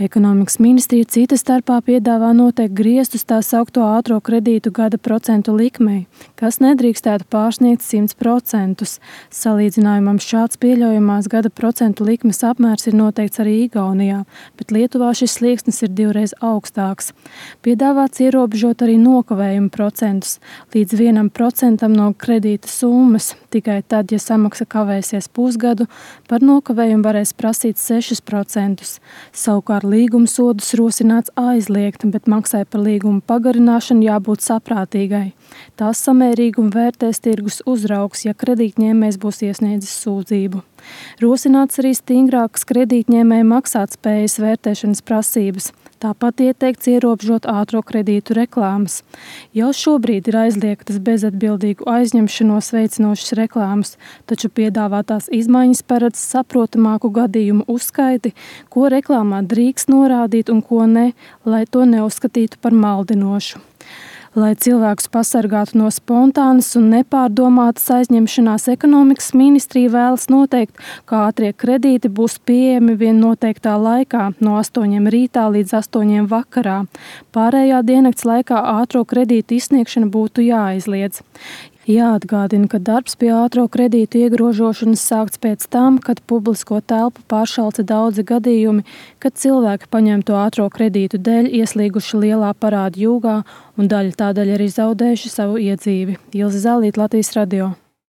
Ekonomikas ministrija cita starpā piedāvā noteikt griestus tā saukto ātro kredītu gada procentu likmei, kas nedrīkstētu pārsniegt 100%. Salīdzinājumam šāds pieļaujamās gada procentu likmes apmērs ir noteikts arī Igaunijā, bet Lietuvā šis slieksnis ir 2 reizes augstāks. Piedāvāts ierobežot arī nokavējumu procentus līdz 1% no kredīta summas. Tikai tad, ja samaksa kavēsies pusgadu, par nokavējumu varēs prasīt 6%. Savukārt līguma sodus rosināts aizliegt, bet maksai par līguma pagarināšanu jābūt saprātīgai. Tās samērīgumu vērtēs tirgus uzraugs, ja kredītņēmējs būs iesniedzis sūdzību. Rosināts arī stingrākas kredītņēmēja maksātspējas vērtēšanas prasības. Tāpat ieteikts ierobežot ātro kredītu reklāmas. Jau šobrīd ir aizliegtas bezatbildīgu aizņemšanos veicinošas reklāmas, taču piedāvātās izmaiņas paredz saprotamāku gadījumu uzskaiti, ko reklāmā drīkst norādīt un ko ne, lai to neuzskatītu par maldinošu. Lai cilvēkus pasargātu no spontānas un nepārdomātas aizņemšanās, ekonomikas ministrija vēlas noteikt, ka ātrie kredīti būs pieejami vien noteiktā laikā, no 8 rītā līdz 8 vakarā. Pārējā diennakts laikā ātro kredītu izsniegšana būtu jāaizliedz. Jāatgādina, ka darbs pie ātro kredītu iegrožošanas sākts pēc tam, kad publisko telpu pāršalca daudzi gadījumi, kad cilvēki paņemto ātro kredītu dēļ ieslīguši lielā parādu jūgā un daļa tādēļ arī zaudējuši savu iedzīvi. Ilze Zālīte, Latvijas radio.